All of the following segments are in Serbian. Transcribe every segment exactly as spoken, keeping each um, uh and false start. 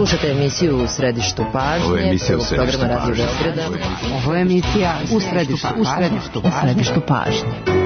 Slušate emisiju U središtu pažnje. Ovo je emisija U središtu pažnje. Ovo je emisija U središtu pažnje. U središtu pažnje.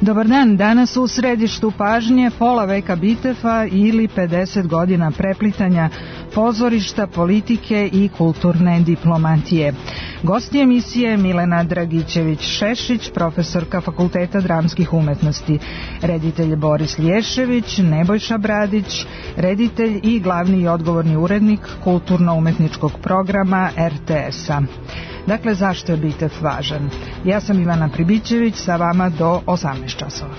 Dobar dan, danas u središtu pažnje pola veka Bitefa ili pedeset godina preplitanja pozorišta, politike i kulturne diplomatije. Gosti emisije Milena Dragićević-Šešić, profesorka Fakulteta dramskih umetnosti, reditelj Boris Lješević, Nebojša Bradić, reditelj i glavni i odgovorni urednik kulturno-umetničkog programa er te es-a. Dakle, zašto je Bitef važan? Ja sam Ivana Pribićević, sa vama do osamnaest časova.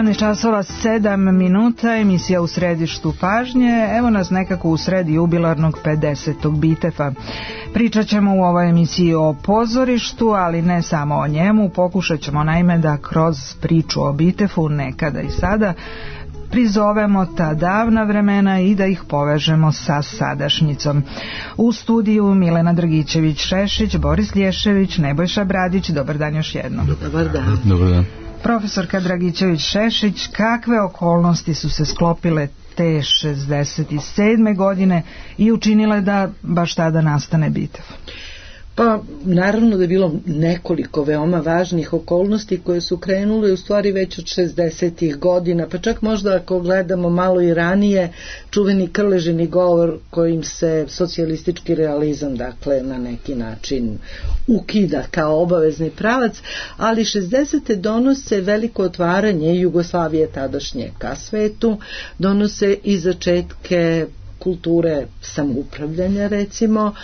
sedamnaest časova sedam minuta, emisija U središtu pažnje. Evo nas nekako u sredi jubilarnog pedesetog Bitefa. Pričat ćemo u ovoj emisiji o pozorištu, ali ne samo o njemu. Pokušat ćemo naime da kroz priču o Bitefu nekada i sada prizovemo ta davna vremena i da ih povežemo sa sadašnjicom. U studiju Milena Dragićević-Šešić, Boris Lješević, Nebojša Bradić. Dobar dan još jednom. Dobar dan. Dobar dan. Profesorka Dragićević-Šešić, kakve okolnosti su se sklopile te šezdeset sedme godine i učinile da baš tada nastane Bitev? Pa, naravno da je bilo nekoliko veoma važnih okolnosti koje su krenule u stvari već od šezdesetih godina, pa čak možda ako gledamo malo i ranije, čuveni Krležini govor kojim se socijalistički realizam, dakle, na neki način ukida kao obavezni pravac, ali šezdesete donose veliko otvaranje Jugoslavije tadašnje ka svetu, donose i začetke kulture samoupravljanja, recimo,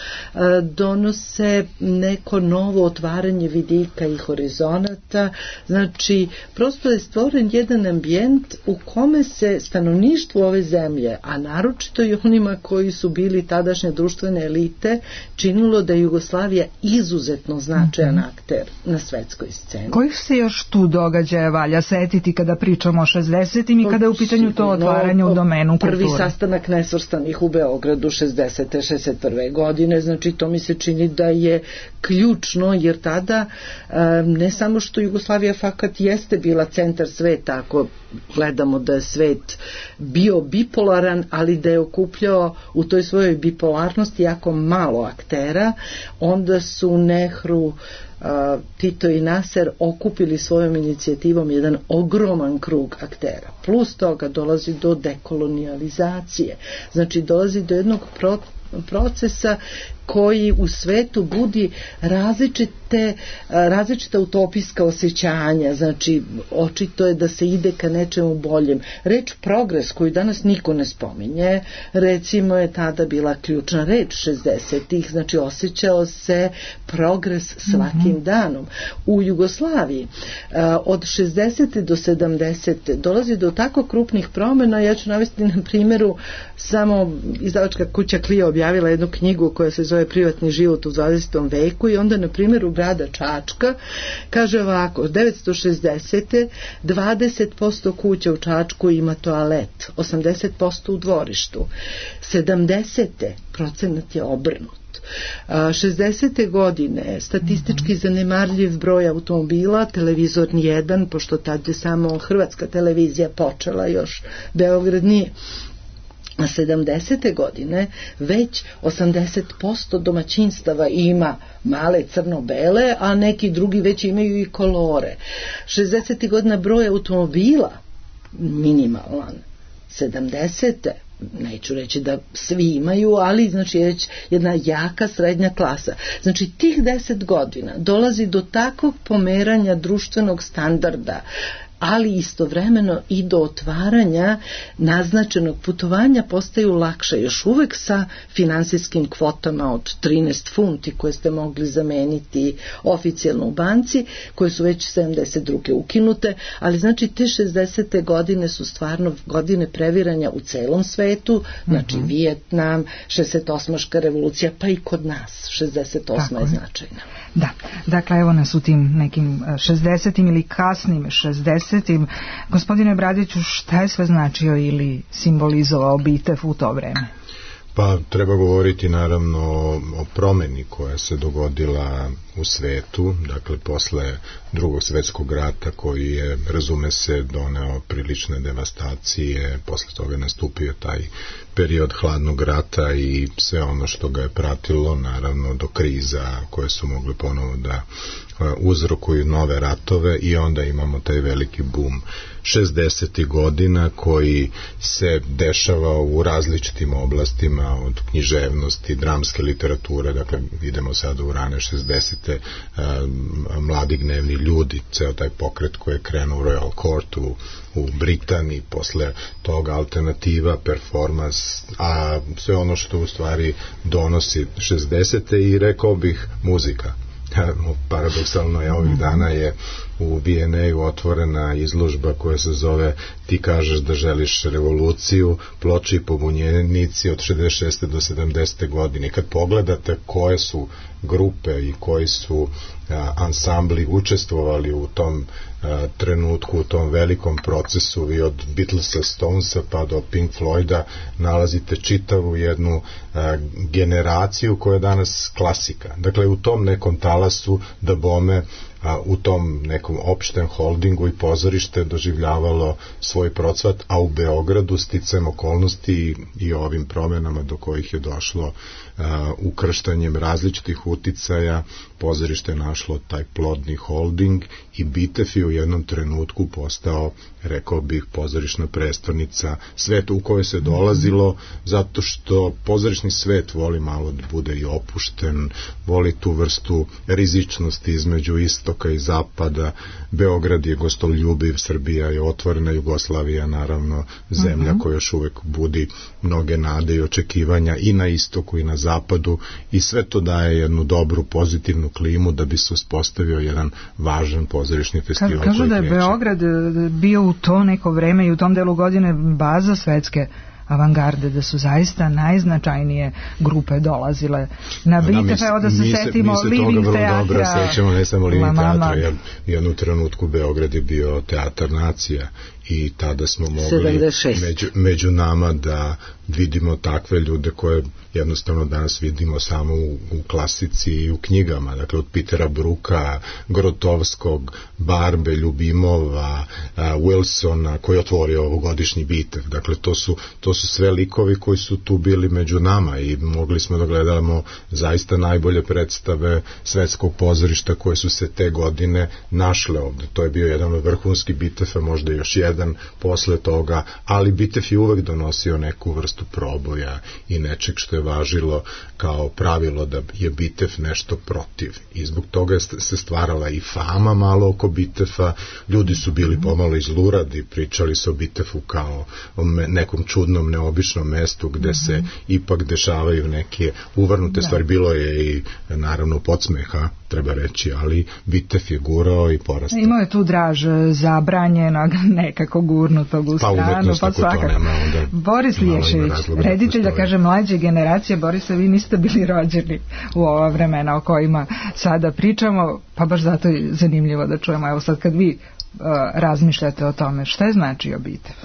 donose neko novo otvaranje vidika i horizonata. Znači, prosto je stvoren jedan ambijent u kome se stanovništvo ove zemlje, a naročito i onima koji su bili tadašnje društvene elite, činilo da je Jugoslavija izuzetno značajan akter na svetskoj sceni. Kojih se još tu događaja valja setiti kada pričamo o šezdesetim i kada je u pitanju to otvaranje u domenu kulture? Prvi sastanak nesvrstanih u Beogradu šezdesete šezdeset prve godine, znači to mi se čini da je ključno, jer tada ne samo što Jugoslavija fakat jeste bila centar sveta, ako gledamo da je svet bio bipolaran, ali da je okupljao u toj svojoj bipolarnosti jako malo aktera, onda su Nehru, Tito i Naser okupili svojom inicijativom jedan ogroman krug aktera. Plus toga dolazi do dekolonijalizacije, znači dolazi do jednog procesa koji u svetu budi različite te a, različita utopijska osjećanja, znači očito je da se ide ka nečemu boljem. Reč progres, koju danas niko ne spominje, recimo je tada bila ključna reč šezdesetih, znači osjećao se progres svakim mm-hmm. danom. U Jugoslaviji a, od šezdesete do sedamdesete dolazi do tako krupnih promjena. Ja ću navesti na primjeru, samo izdavačka kuća Klio objavila jednu knjigu koja se zove Privatni život u dvadesetom veku i onda na primjeru grada Čačka kaže ovako: devetsto šezdesete dvadeset posto kuća u Čačku ima toalet, osamdeset posto u dvorištu. sedamdesete procenat je obrnut. šezdesete godine statistički zanemarljiv broj automobila, televizor nijedan, pošto tad je samo hrvatska televizija počela, još Beograd nije. A sedamdesete godine već osamdeset posto domaćinstava ima male crno-bele, a neki drugi već imaju i kolore. šezdesetih godina broj automobila minimalan. sedamdesete neću reći da svi imaju, ali znači je već jedna jaka srednja klasa. Znači tih deset godina dolazi do takvog pomeranja društvenog standarda, ali istovremeno i do otvaranja naznačenog putovanja postaju lakše, još uvek sa finansijskim kvotama od trinaest funti koje ste mogli zameniti oficijalno u banci, koje su već sedamdeset druge ukinute, ali znači te šezdesete godine su stvarno godine previranja u celom svetu, znači mm-hmm. Vijetnam, šezdeset osmaška revolucija, pa i kod nas šezdeset osma je značajna. Da, dakle evo nas u tim nekim šezdesetim ili kasnim šezdesetim. Gospodine Bradiću, šta je sve značio ili simbolizovao Bitev u to vreme? Pa treba govoriti naravno o promeni koja se dogodila u svetu, dakle posle drugog svjetskog rata koji je, razume se, doneo prilične devastacije, posle toga nastupio taj period hladnog rata i sve ono što ga je pratilo, naravno do kriza koje su mogli ponovo da uzrokuju nove ratove i onda imamo taj veliki bum šezdesetih godina koji se dešava u različitim oblastima, od književnosti, dramske literature, dakle idemo sada u rane šezdesete, mladi gnevni ljudi, ceo taj pokret koji je krenuo u Royal Court u, u Britaniji, posle toga alternativa, performans, a sve ono što u stvari donosi šezdesete i rekao bih muzika. Paradoksalno je ovih dana je u B and A-u otvorena izložba koja se zove Ti kažeš da želiš revoluciju, ploče i pobunjenici od šezdeset šeste do sedamdesete godine. Kad pogledate koje su grupe i koji su a, ansambli učestvovali u tom a, trenutku, u tom velikom procesu, vi od Beatlesa, Stonesa pa do Pink Floyda nalazite čitavu jednu a, generaciju koja je danas klasika. Dakle, u tom nekom talasu da bome, a, u tom nekom opštem holdingu i pozorište doživljavalo svoj procvat, a u Beogradu sticajem okolnosti i, i ovim promjenama do kojih je došlo a, ukrštanjem različitih uticaja, pozorište je našlo taj plodni holding i Bitev je u jednom trenutku postao, rekao bih, pozorišna prestolnica sveta u kojoj se dolazilo, zato što pozorišni svet voli malo da bude i opušten, voli tu vrstu rizičnosti između istoka i zapada. Beograd je gostoljubiv, Srbija je otvorena, Jugoslavija naravno zemlja uh-huh. koja još uvek budi mnoge nade i očekivanja i na istoku i na zapadu i sve to daje jednu dobru pozitivnu klimu da bi se uspostavio jedan važan pozorišni festival. Ka, kažu da je Beograd bio u to neko vreme i u tom delu godine baza svetske avangarde, da su zaista najznačajnije grupe dolazile na Bitev. Evo da se mi setimo se, Living teatra. Mi se toga vrlo dobro sećamo, ne samo Living teatra, jer u jednom trenutku Beograd je bio teatar nacija i tada smo mogli među, među nama da vidimo takve ljude koje jednostavno danas vidimo samo u, u klasici i u knjigama, dakle od Petera Bruka, Grotovskog, Barbe, Ljubimova, a, Wilsona koji je otvorio ovogodišnji Bitev, dakle to su, to su sve likovi koji su tu bili među nama i mogli smo da gledamo zaista najbolje predstave svetskog pozorišta koje su se te godine našle ovde. To je bio jedan od vrhunskih Bitefa, možda još jedan posle toga, ali Bitef je uvek donosio neku vrstu proboja i nečeg što je važilo kao pravilo da je Bitef nešto protiv. I zbog toga se stvarala i fama malo oko Bitefa, ljudi su bili pomalo izluradi, pričali se o Bitefu kao o nekom čudnom, neobičnom mestu gde se ipak dešavaju neke uvrnute stvari. Bilo je i naravno podsmeha, treba reći, ali Bitef je gurao i porastao. Imao je tu draž zabranjenog, nekako gurnutog u stranu, pa, pa svakako. Boris Liješević, reditelj, da kaže, mlađe generacije. Borisa, vi niste bili rođeni u ova vremena o kojima sada pričamo, pa baš zato je zanimljivo da čujemo. Evo sad kad vi uh, razmišljate o tome, šta je značio Bitef?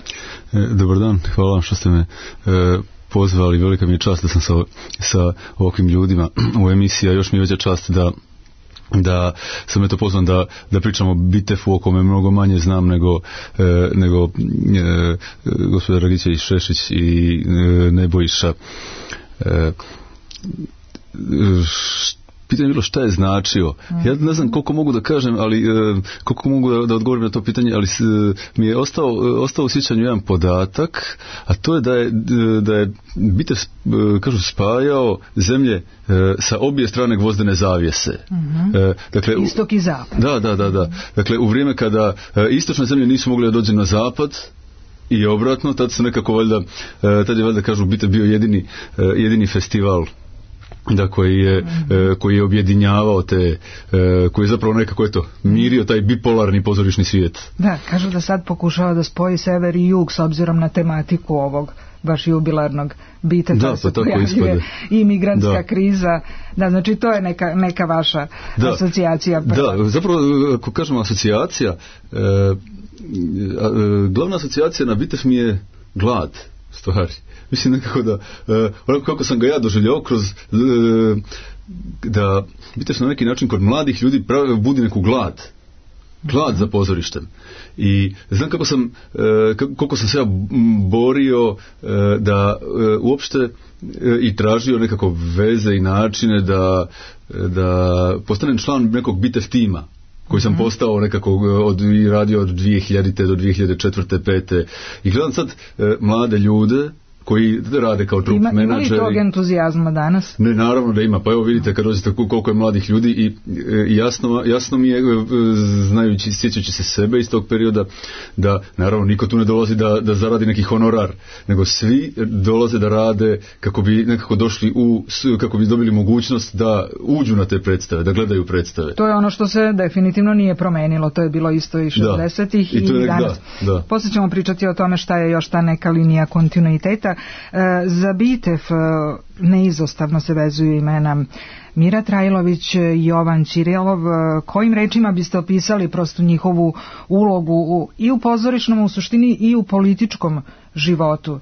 E, dobar dan, hvala vam što ste me e, pozvali, velika mi je čast da sam sa, sa ovakvim ljudima u emisiji, a još mi je veća čast da da sam eto pozvan da, da pričam o Bitefu o kome mnogo manje znam nego, e, nego e, gospodin Dragićević Šešić i e, Nebojša. E, Pitanje je bilo šta je značio. Ja ne znam koliko mogu da kažem, ali koliko mogu da, da odgovorim na to pitanje, ali mi je ostao, ostao u sjećanju jedan podatak, a to je da je, da je Bitef, kažu, spajao zemlje sa obje strane gvozdene zavjese. Uh-huh. Dakle, istok i zapad. Da, da, da, da. Dakle, u vrijeme kada istočne zemlje nisu mogli da dođe na zapad, i obratno, tad su nekako valjda, tad je valjda, kažu, Bitef bio jedini, jedini festival da koji je, mm-hmm. koji je objedinjavao te, koji je zapravo nekako eto mirio taj bipolarni pozorišni svijet. Da, kažu da sad pokušava da spoji sever i jug s obzirom na tematiku ovog baš jubilarnog Bitefa, da, se pa pojavljuje i migrantska da. kriza. Da, znači to je neka, neka vaša da. asocijacija. Prva. Da, zapravo ako kažemo asocijacija, e, glavna asocijacija na Bitef mi je glad, stvari. Mislim nekako da, onako kako sam ga ja doživljao kroz, da Bitef na neki način kod mladih ljudi pravi, budi neku glad. Glad za pozorištem. I znam kako sam, koliko sam se ja borio da uopšte i tražio nekako veze i načine da, da postanem član nekog Bitef tima, koji sam postao nekako od, i radio od dvije hiljadite do dvije hiljade četvrte pete I gledam sad e, mlade ljude koji rade kao trup ima, menadžeri. Ima li tog entuzijazma danas? Ne, naravno da ima. Pa evo vidite kad dođete koliko je mladih ljudi i e, jasno, jasno mi je, e, znajući, sjećajući se sebe iz tog perioda, da naravno niko tu ne dolazi da, da zaradi neki honorar, nego svi dolaze da rade kako bi nekako došli u, kako bi dobili mogućnost da uđu na te predstave, da gledaju predstave. To je ono što se definitivno nije promenilo, to je bilo isto i šezdesetih i, i danas. Da, da. Poslije ćemo pričati o tome šta je još ta neka linija kontinuiteta. Za Bitef neizostavno se vezuju imena Mira Trajlović, Jovan Ćirilov. Kojim rečima biste opisali prosto njihovu ulogu u, i u pozorišnom, u suštini i u političkom životu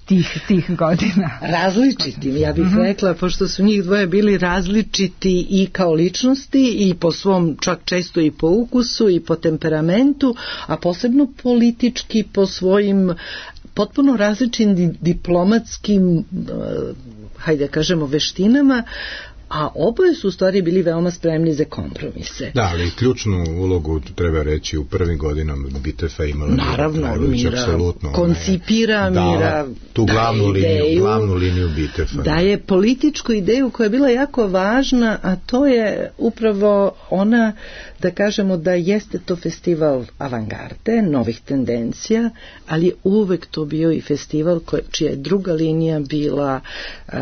tih, tih godina? Različitim, ja bih uh-huh. rekla, pošto su njih dvoje bili različiti i kao ličnosti i po svom, čak često i po ukusu i po temperamentu, a posebno politički po svojim potpuno različitim diplomatskim, hajde da kažemo, veštinama, a oboje su u stvari bili veoma spremni za kompromise. Da, ali ključnu ulogu treba reći u prvim godinama Bitefa imala naravno, Mira, apsolutno koncipira da, Mira tu glavnu liniju, ideju, glavnu liniju Bitefa. Da je političku ideju koja je bila jako važna, a to je upravo ona, da kažemo da jeste to festival avangarde, novih tendencija, ali je uvek to bio i festival koje, čija je druga linija bila uh,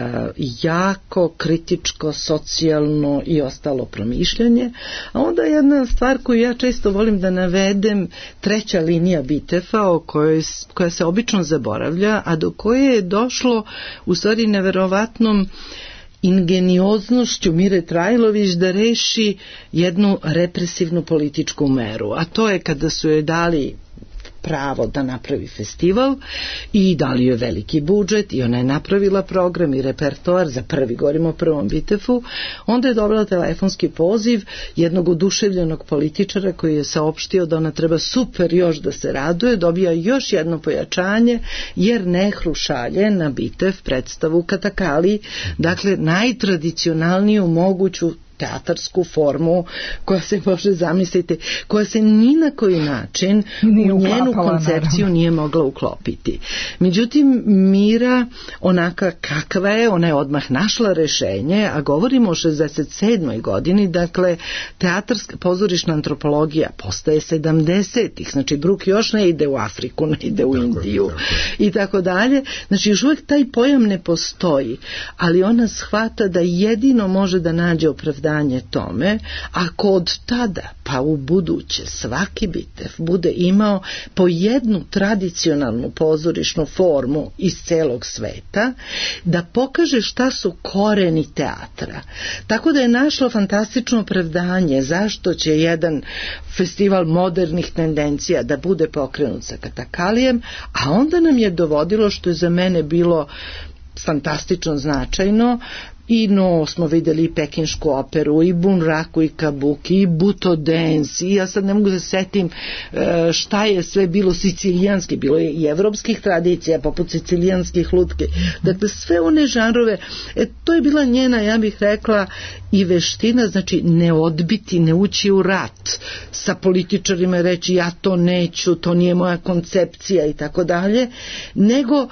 jako kritičko, socijalno i ostalo promišljanje. A onda jedna stvar koju ja često volim da navedem, treća linija Bitefa o kojoj, koja se obično zaboravlja, a do koje je došlo u stvari neverovatnom ingenioznošću Mire Trajlović da reši jednu represivnu političku meru, a to je kada su joj dali pravo da napravi festival i dali joj veliki budžet i ona je napravila program i repertoar za prvi, govorimo o prvom Bitefu. Onda je dobila telefonski poziv jednog oduševljenog političara koji je saopštio da ona treba super još da se raduje, dobija još jedno pojačanje jer Nehru šalje na Bitef predstavu Katakali, dakle najtradicionalniju moguću teatarsku formu koja se može zamisliti, koja se ni na koji način nije u njenu koncepciju naravno. Nije mogla uklopiti. Međutim, Mira, onaka kakva je, ona je odmah našla rešenje, a govorimo o šezdeset sedmoj godini, dakle, teatarska pozorišna antropologija postaje sedamdesetih, znači Bruk još ne ide u Afriku, ne ide u tako, Indiju tako. I tako dalje. Znači, još uvijek taj pojam ne postoji, ali ona shvata da jedino može da nađe opravdanje tome, ako od tada pa u buduće svaki Bitef bude imao po jednu tradicionalnu pozorišnu formu iz celog sveta, da pokaže šta su koreni teatra. Tako da je našlo fantastično opravdanje zašto će jedan festival modernih tendencija da bude pokrenut sa Katakalijem, a onda nam je dovodilo, što je za mene bilo fantastično značajno, i no smo vidjeli i pekinšku operu, i bunraku, i kabuki, i buto dance, i ja sad ne mogu da setim šta je sve bilo sicilijanski, bilo je i evropskih tradicija poput sicilijanskih lutke, dakle sve one žanrove, e, to je bila njena, ja bih rekla, i veština, znači ne odbiti, ne ući u rat sa političarima i reći ja to neću, to nije moja koncepcija i tako dalje, nego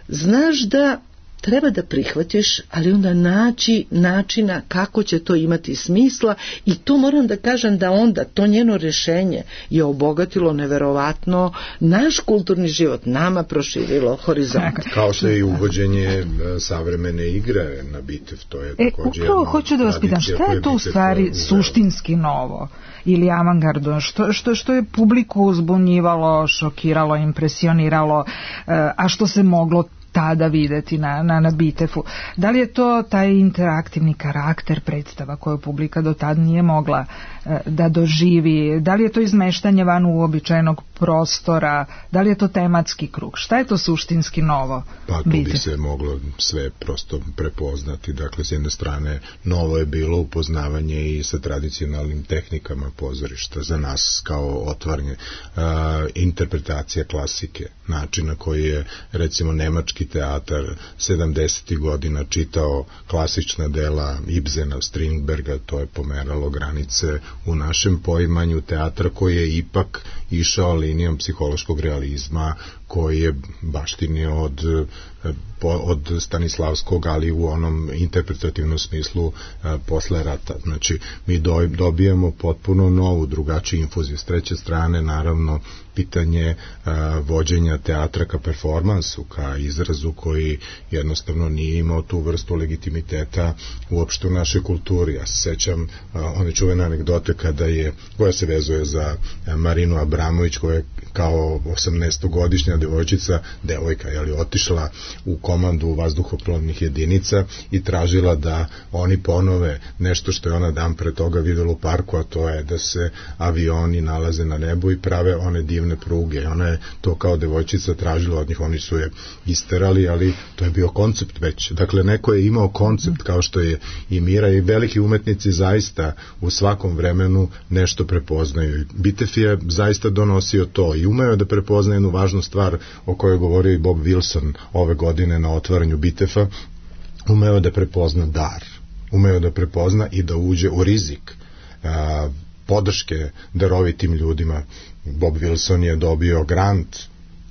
znaš da treba da prihvatiš, ali onda naći načina kako će to imati smisla i tu moram da kažem da onda to njeno rešenje je obogatilo neverovatno naš kulturni život, nama proširilo horizont. Kao što je i uvođenje savremene igre na Bitef, to je e, također upravo hoću da vas pitam, šta je to u stvari suštinski novo ili avangardno, što, što, što je publiku uzbunjivalo, šokiralo, impresioniralo, a što se moglo tada videti na, na, na Bitefu. Da li je to taj interaktivni karakter predstava koju publika do tad nije mogla e, da doživi? Da li je to izmeštanje van uobičajenog prostora? Da li je to tematski krug? Šta je to suštinski novo? Pa tu bi se moglo sve prosto prepoznati. Dakle, s jedne strane, novo je bilo upoznavanje i sa tradicionalnim tehnikama pozorišta. Za nas kao otvaranje a, interpretacija klasike, načina koji je, recimo, nemački teatar sedamdesetih godina čitao klasična dela Ibsena, Strindberga, to je pomeralo granice u našem poimanju teatra koji je ipak išao linijom psihološkog realizma, koji je baštinio od, od Stanislavskog, ali u onom interpretativnom smislu posle rata. Znači, mi dobijamo potpuno novu, drugačiju infuziju. S treće strane, naravno, pitanje a, vođenja teatra ka performansu, ka izrazu koji jednostavno nije imao tu vrstu legitimiteta uopšte u našoj kulturi. Ja se sećam a, one čuvene anegdote kada je, koja se vezuje za a, Marinu Abramović, koja je kao osamnaestogodišnja devojčica, devojka, je li, otišla u komandu vazduhoplovnih jedinica i tražila da oni ponove nešto što je ona dan pre toga videla u parku, a to je da se avioni nalaze na nebu i prave one divne pruge. Ona je to kao devojčica tražila od njih, oni su je isterali, ali to je bio koncept već. Dakle, neko je imao koncept kao što je i Mira, i veliki umetnici zaista u svakom vremenu nešto prepoznaju. Bitef je zaista donosio to i umeo da prepozna jednu važnu stvar o kojoj je govorio i Bob Wilson ove godine na otvaranju Bitefa. Umeo da prepozna dar, umeo da prepozna i da uđe u rizik a, podrške darovitim ljudima. Bob Wilson je dobio grant,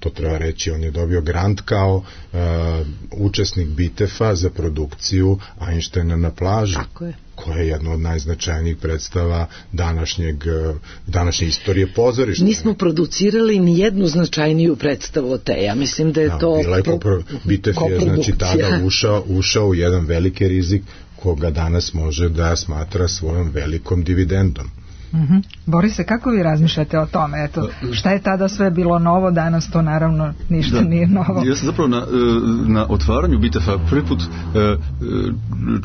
to treba reći, on je dobio grant kao uh, učesnik Bitefa za produkciju Einsteina na plaži. Tako je. Koja je jedna od najznačajnijih predstava današnjeg, današnje istorije pozorišta. Nismo producirali ni jednu značajniju predstavu od te. Ja mislim da je da, to bila je kopro, Bitef je znači tada ušao, ušao u jedan veliki rizik koga danas može da smatra svojom velikom dividendom. Mm-hmm. Borise, kako vi razmišljate o tome? Eto, šta je tada sve bilo novo, danas to naravno ništa da. nije novo. Ja sam zapravo na, na otvaranju Bitefa prvi put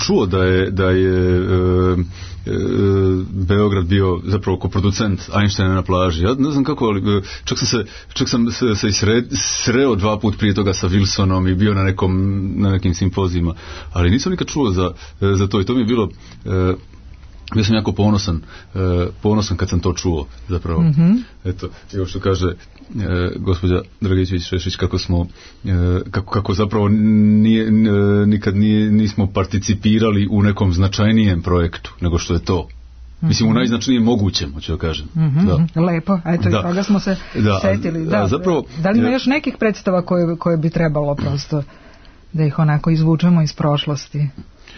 čuo da je, da je Beograd bio zapravo koproducent Einsteina na plaži. Ja ne znam kako, ali čak sam se, čak sam se, se sre, sreo dva put prije toga sa Wilsonom i bio na, nekom, na nekim simpozijima, ali nisam nikad čuo za, za to i to mi je bilo... Bio sam jako ponosan, uh, ponosan kad sam to čuo, zapravo. Mm-hmm. Eto, evo što kaže uh, gospođa Dragićević-Šešić, kako smo, uh, kako, kako zapravo nije, uh, nikad nije, nismo participirali u nekom značajnijem projektu, nego što je to. Mm-hmm. Mislim, u najznačajnijem mogućem, hoću da kažem. Mm-hmm. Da. Lepo, eto i toga smo se da. setili. Da, a, zapravo, da li ima još nekih predstava koje, koje bi trebalo prosto da ih onako izvučemo iz prošlosti?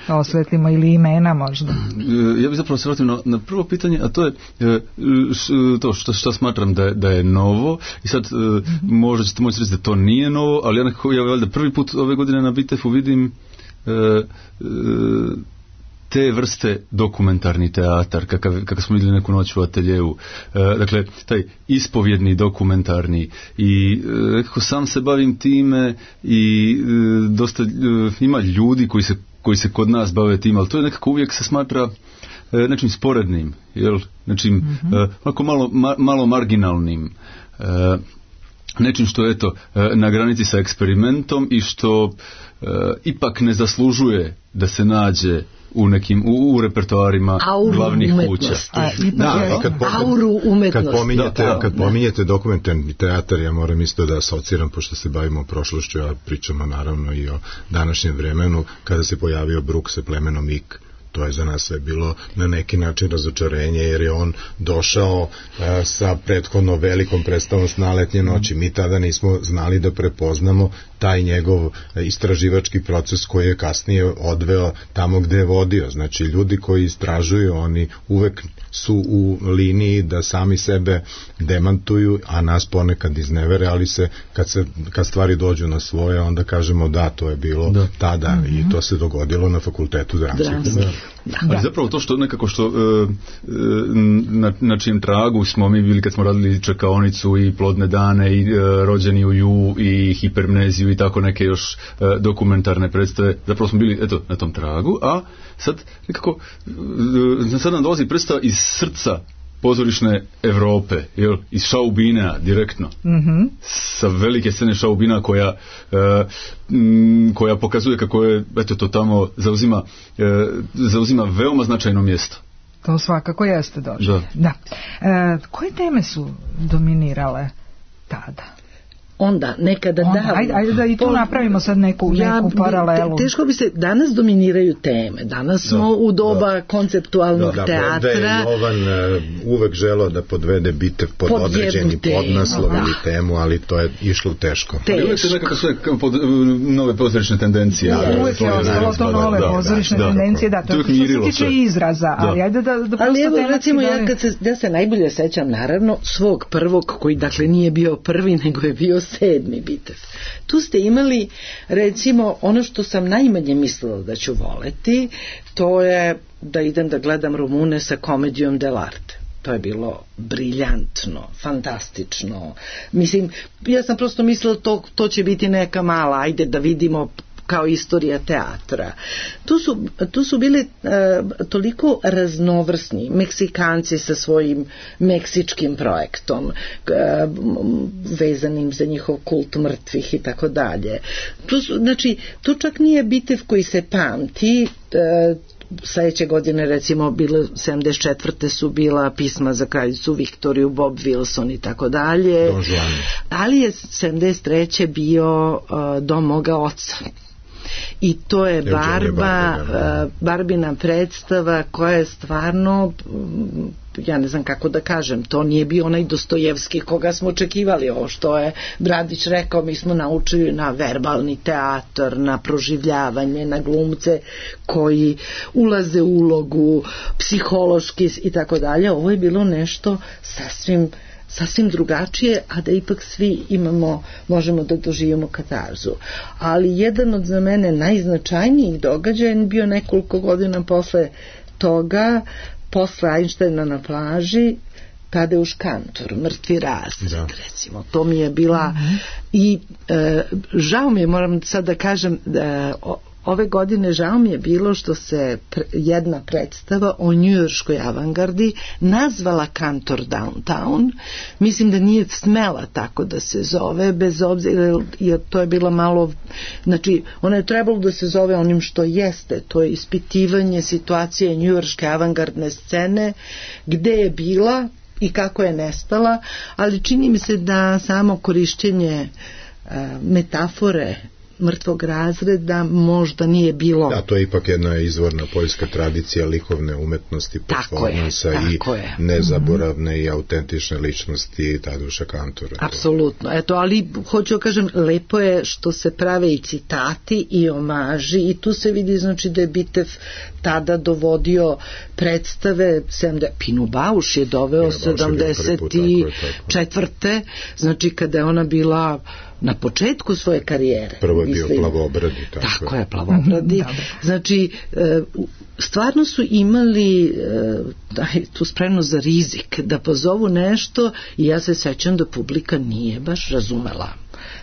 Da osvetlimo ili imena možda. Ja bih zapravo se vratio na, na prvo pitanje, a to je š, to što, što smatram da je, da je novo i sad mm-hmm. možda ćete moći reći da to nije novo, ali ja nekako ja valjda prvi put ove godine na Bitefu vidim e, e, te vrste dokumentarni teatar, kakav, kakav smo vidjeli neku noć u ateljevu. E, dakle, taj ispovjedni dokumentarni i e, kako sam se bavim time i e, dosta e, ima ljudi koji se koji se kod nas bave tim, ali to je nekako uvijek se smatra e, nečim sporednim, jel? Nečim mm-hmm. e, onako malo, ma, malo marginalnim, e, nečim što je eto e, na granici sa eksperimentom i što e, ipak ne zaslužuje da se nađe u nekim u, u repertoarima auru glavnih kuća. A, da, kad, auru umetnosti. Kad pominjete, da, kad pominjete dokumentarni teatar, ja moram isto da asociram, pošto se bavimo prošlošću, a pričamo naravno i o današnjem vremenu, kada se pojavio Brooks sa plemenom Ik. To je za nas sve bilo na neki način razočarenje, jer je on došao a, sa prethodno velikom predstavom Sna letnje noći. Mi tada nismo znali da prepoznamo taj njegov istraživački proces koji je kasnije odveo tamo gde je vodio. Znači, ljudi koji istražuju, oni uvek su u liniji da sami sebe demantuju, a nas ponekad iznevere, ali se kad, se, kad stvari dođu na svoje, onda kažemo da, to je bilo da. tada mm-hmm. i to se dogodilo na fakultetu dramskih. Da. Da. Ali zapravo to što nekako što e, na, na čijem tragu smo mi bili kad smo radili Čekaonicu i Plodne dane i e, Rođeni u Ju i Hipermneziju i tako neke još e, dokumentarne predstave, zapravo smo bili eto na tom tragu, a sad nekako e, sad nam dolazi predstava iz srca pozorišne Evrope, jel, iz Šaubinea direktno, mm-hmm. sa velike scene Šaubina koja e, m, koja pokazuje kako je eto to tamo zauzima e, zauzima veoma značajno mjesto. To svakako jeste došlo. Da. Da. E, koje teme su dominirale tada? Onda, nekada Onda, davno. Ajde, ajde da i tu napravimo sad neku, ja, neku paralelu. Te, teško bi se, danas dominiraju teme. Danas smo da, u doba da, konceptualnog da, teatra. Da, da je Jovan uh, uvek želeo da podvede Bitev pod, pod određeni podnaslov ili da. temu, ali to je išlo teško. Teško. Ali uvek se nekako sve pod, nove pozorišne tendencije. Da, uvek je ostalo to nove da, pozorišne da, tendencije, da, to, to što se tiče izraza, da. ali ajde da, da ali evo, recimo, da ja kad se, ja se najbolje sećam, naravno, svog prvog, koji dakle nije bio prvi, nego je bio sedmi Bitev. Tu ste imali, recimo, ono što sam najmanje mislila da ću voleti, to je da idem da gledam Rumune sa komedijom dell'arte. To je bilo briljantno, fantastično. Mislim, ja sam prosto mislila to, to će biti neka mala, ajde da vidimo kao istorija teatra. Tu su, tu su bili uh, toliko raznovrsni Meksikanci sa svojim meksičkim projektom, uh, vezanim za njihov kult mrtvih i tako dalje. Tu su, znači, tu čak nije Bitev koji se pamti. Uh, sledeće godine recimo bilo sedamdeset četvrte su bila Pisma za kraljicu Viktoriju, Bob Wilson i tako dalje, ali je sedamdeset treće bio uh, Dom moga oca. I to je Barba, uh, Barbina predstava koja je stvarno, ja ne znam kako da kažem, to nije bio onaj Dostojevski koga smo očekivali. Ovo što je Bradić rekao, mi smo naučili na verbalni teatar, na proživljavanje, na glumce koji ulaze u ulogu, psihološki i tako dalje. Ovo je bilo nešto sasvim sasvim drugačije, a da ipak svi imamo, možemo da doživimo katarzu. Ali jedan od za mene najznačajnijih događaja je bio nekoliko godina posle toga, posle Einsteina na plaži Tadeusz Kantor, Mrtvi razred, da. Recimo, to mi je bila mm-hmm. i e, žao mi je, moram sad da kažem, da o, ove godine žao mi je bilo što se pre, jedna predstava o njujorškoj avangardi nazvala Kantor Downtown. Mislim da nije smela tako da se zove, bez obzira, jer to je bilo malo, znači ona je trebalo da se zove onim što jeste, to je ispitivanje situacije njujorške avangardne scene, gde je bila i kako je nestala, ali čini mi se da samo korišćenje a, metafore mrtvog razreda možda nije bilo. Da, to je ipak jedna izvorna poljska tradicija likovne umetnosti, performansa i je. nezaboravne mm-hmm. i autentične ličnosti Tadeuša Kantora. Apsolutno. Eto, ali hoću kažem, lepo je što se prave i citati i omaži i tu se vidi znači da je Bitev tada dovodio predstave, Pinu Bauš je doveo sedamdeset četvrte znači kada je ona bila na početku svoje karijere. Prvo je bio Plavobradi. Tako, tako je, Plavobradi. Znači, stvarno su imali tu spremnost za rizik, da pozovu nešto i ja se sećam da publika nije baš razumela.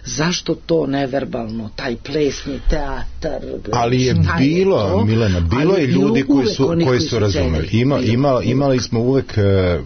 Zašto to neverbalno, taj plesni teatar? Ali je bilo, je Milena, bilo je ljudi koji su, koji, koji su razumeli. Ima, ima, imali smo uvek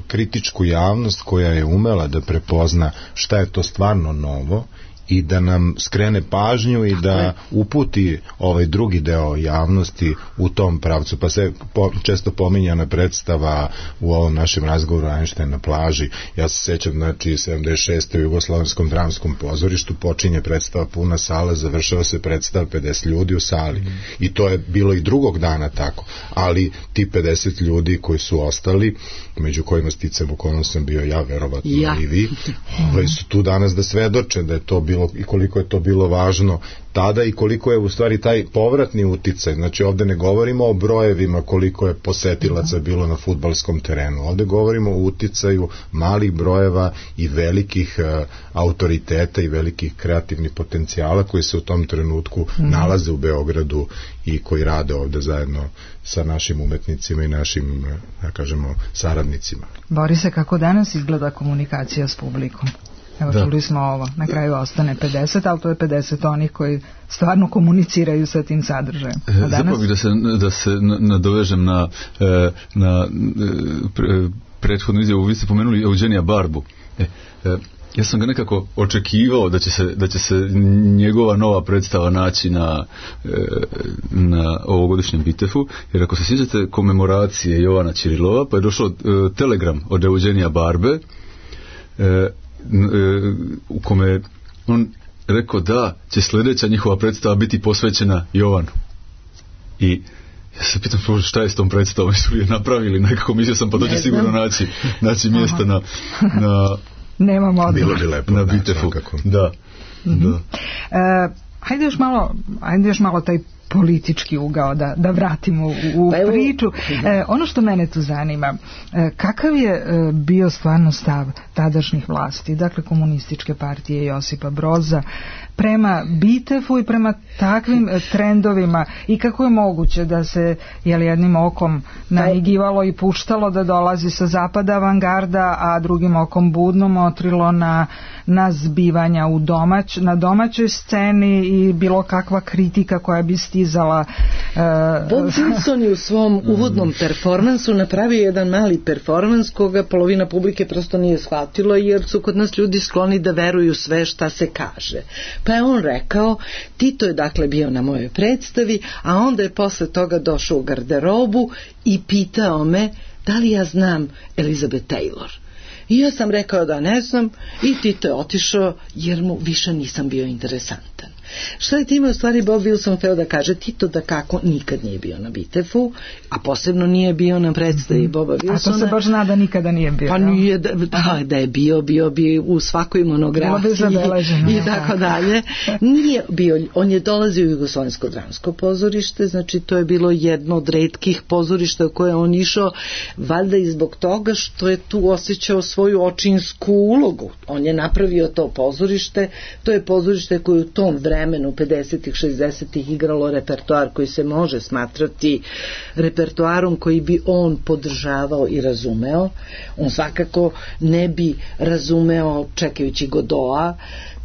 kritičku javnost koja je umela da prepozna šta je to stvarno novo i da nam skrene pažnju i da uputi ovaj drugi deo javnosti u tom pravcu. Pa se po, često pominjana predstava u ovom našem razgovoru Einstein na plaži. Ja se sećam, znači, sedamdeset šeste u Jugoslavenskom dramskom pozorištu počinje predstava puna sala, završava se predstava pedeset ljudi u sali. Mm. I to je bilo i drugog dana tako. Ali ti pedeset ljudi koji su ostali, među kojima sticam okolno sam bio ja, verovatno ja. i vi, ovaj su tu danas da svedoče da je to bilo i koliko je to bilo važno tada i koliko je u stvari taj povratni uticaj. Znači ovde ne govorimo o brojevima koliko je posetilaca bilo na fudbalskom terenu. Ovde govorimo o uticaju malih brojeva i velikih uh, autoriteta i velikih kreativnih potencijala koji se u tom trenutku mm. nalaze u Beogradu i koji rade ovde zajedno sa našim umetnicima i našim, da kažemo, saradnicima. Borise, kako danas izgleda komunikacija s publikom? Evo, da. Čuli smo ovo, na kraju ostane pedeset, ali to je pedeset onih koji stvarno komuniciraju sa tim sadržajem. Danas... Zapravo bih da se, da se nadovežem na, na prethodnu izjavu. Vi ste pomenuli Eugenija Barbu. E, ja sam ga nekako očekivao da će se, da će se njegova nova predstava naći na, na ovogodišnjem Bitefu, jer ako se sjećate komemoracije Jovana Ćirilova, pa je došao telegram od Eugenija Barbe, u kome on rekao da će sljedeća njihova predstava biti posvećena Jovanu. I ja se pitam šta je s tom predstavom, su je napravili nekako, mislio sam pa to će sigurno naći, naći mjesta na, na nemamo odgovor. Bilo bi lepo, na Bitefu. Da, mm-hmm. da. E, hajde još malo, hajde još malo taj politički ugao da, da vratimo u, u pa priču. E, ono što mene tu zanima, e, kakav je e, bio stvarno stav tadašnjih vlasti, dakle komunističke partije Josipa Broza, prema Bitefu i prema takvim e, trendovima i kako je moguće da se jel, jednim okom naigivalo i puštalo da dolazi sa zapada avangarda, a drugim okom budno motrilo na, na zbivanja u domać, na domaćoj sceni i bilo kakva kritika koja bi stizala. Uh, Bob Wilson je u svom uvodnom performansu napravio jedan mali performans koga polovina publike prosto nije shvatilo, jer su kod nas ljudi skloni da veruju sve šta se kaže. Pa je on rekao, Tito je dakle bio na mojoj predstavi, a onda je posle toga došao u garderobu i pitao me da li ja znam Elizabeth Taylor. I ja sam rekao da ne znam i Tito je otišao jer mu više nisam bio interesantan. Šta je time u stvari Bob Wilson hteo da kaže? Tito da kako nikad nije bio na Bitefu, a posebno nije bio na predstavi Boba Wilsona. A to se baš zna da nikada nije bio. Pa nije, da, da, da je bio, bio bi u svakoj monografiji i tako dalje. Nije bio, on je dolazio u Jugoslovensko dramsko pozorište, znači to je bilo jedno od retkih pozorišta u koje on išao, valjda i zbog toga što je tu osjećao svoju očinsku ulogu. On je napravio to pozorište, to je pozorište koje u tom vremenu vremenu pedesetih, šezdesetih igralo repertoar koji se može smatrati repertoarom koji bi on podržavao i razumeo. On svakako ne bi razumeo čekajući Godoa,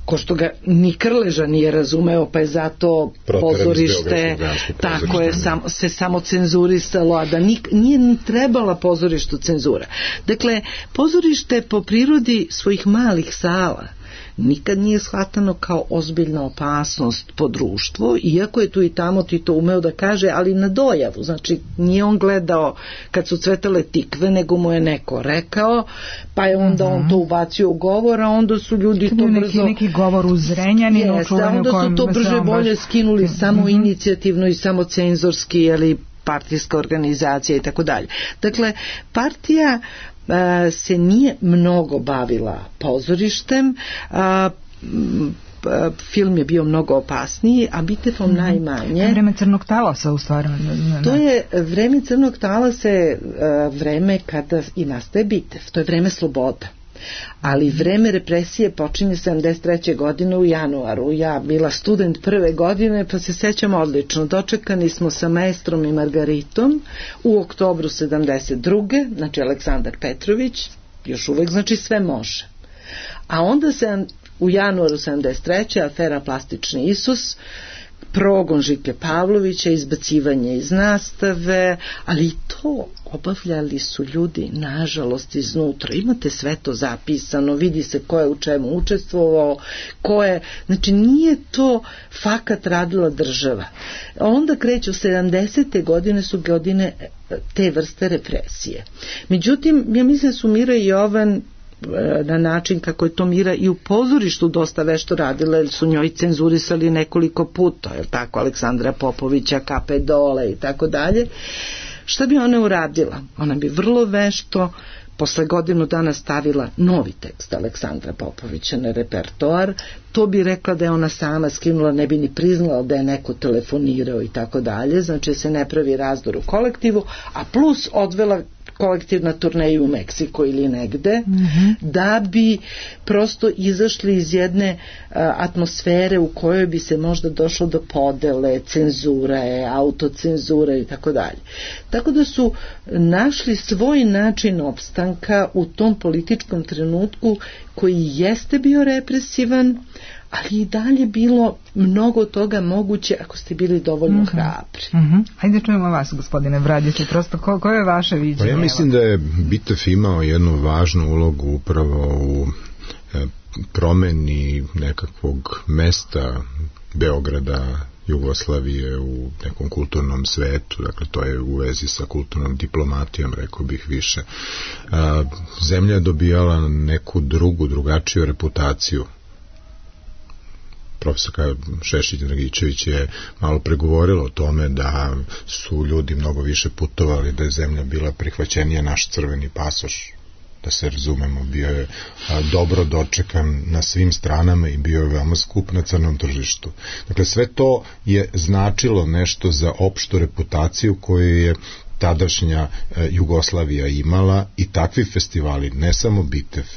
ko što ga ni Krleža nije razumeo, pa je zato pozorište tako je sam, se samo cenzurisalo, a da nik, nije ni trebala pozorištu cenzura. Dakle, pozorište po prirodi svojih malih sala nikad nije shvatano kao ozbiljna opasnost po društvo, iako je tu i tamo Tito umeo da kaže, ali na dojavu. Znači, nije on gledao kad su cvetale tikve, nego mu je neko rekao, pa je onda uh-huh. on to ubacio u govor, a onda su ljudi to, to brzo... Neki, neki govor u Zrenjaninu. Jeste, onda su to brže bolje baš... skinuli uh-huh. samo inicijativno i samo cenzorski, ili partijska organizacija i tako dalje. Dakle, partija se nije mnogo bavila pozorištem, a, film je bio mnogo opasniji, a Bitefom mm-hmm. najmanje. Vreme crnog talasa u stvari. To je vreme crnog talasa, je vreme kada i nastaje Bitef, to je vreme slobode. Ali vreme represije počinje sedamdeset treće godine u januaru. Ja bila student prve godine, pa se sećam odlično. Dočekani smo sa Maestrom i Margaritom u oktobru sedamdeset druge Znači Aleksandar Petrović, još uvek, znači sve može. A onda se u januaru sedamdeset treće afera Plastični Isus, progon Žike Pavlovića, izbacivanje iz nastave, ali i to obavljali su ljudi nažalost iznutra. Imate sve to zapisano, vidi se ko je u čemu učestvovao, ko je, znači nije to fakat radila država. Onda kreću sedamdesete godine su godine te vrste represije. Međutim, ja mislim su Mira i Jovan na način kako je to Mira i u pozorištu dosta vešto radila, jer su njoj cenzurisali nekoliko puta, je tako, Aleksandra Popovića, Kape Dole i tako dalje. Šta bi ona uradila? Ona bi vrlo vešto posle godinu dana stavila novi tekst Aleksandra Popovića na repertoar. To bi rekla da je ona sama skinula, ne bi ni priznala da je neko telefonirao i tako dalje, znači se ne pravi razdor u kolektivu, a plus odvela kolektivna turneja u Meksiko ili negde, mm-hmm. da bi prosto izašli iz jedne uh, atmosfere u kojoj bi se možda došlo do podele, cenzure, autocenzure i tako dalje. Tako da su našli svoj način opstanka u tom političkom trenutku koji jeste bio represivan, ali i dalje bilo mnogo toga moguće ako ste bili dovoljno mm-hmm. hrabri. Mm-hmm. Hajde čujemo vas, gospodine Bradiću, prosto ko, koje je vaše viđenje? Pa ja mislim da je Bitef imao jednu važnu ulogu upravo u e, promeni nekakvog mesta Beograda, Jugoslavije u nekom kulturnom svetu, dakle to je u vezi sa kulturnom diplomatijom, rekao bih više. A, zemlja je dobijala neku drugu, drugačiju reputaciju. Profesorka Šešić-Dragičević je malo pregovorila o tome da su ljudi mnogo više putovali, da je zemlja bila prihvaćenija, naš crveni pasoš, da se razumemo, bio je a, dobro dočekan na svim stranama i bio je veoma skup na crnom tržištu. Dakle, sve to je značilo nešto za opštu reputaciju koju je tadašnja e, Jugoslavija imala, i takvi festivali, ne samo Bitef,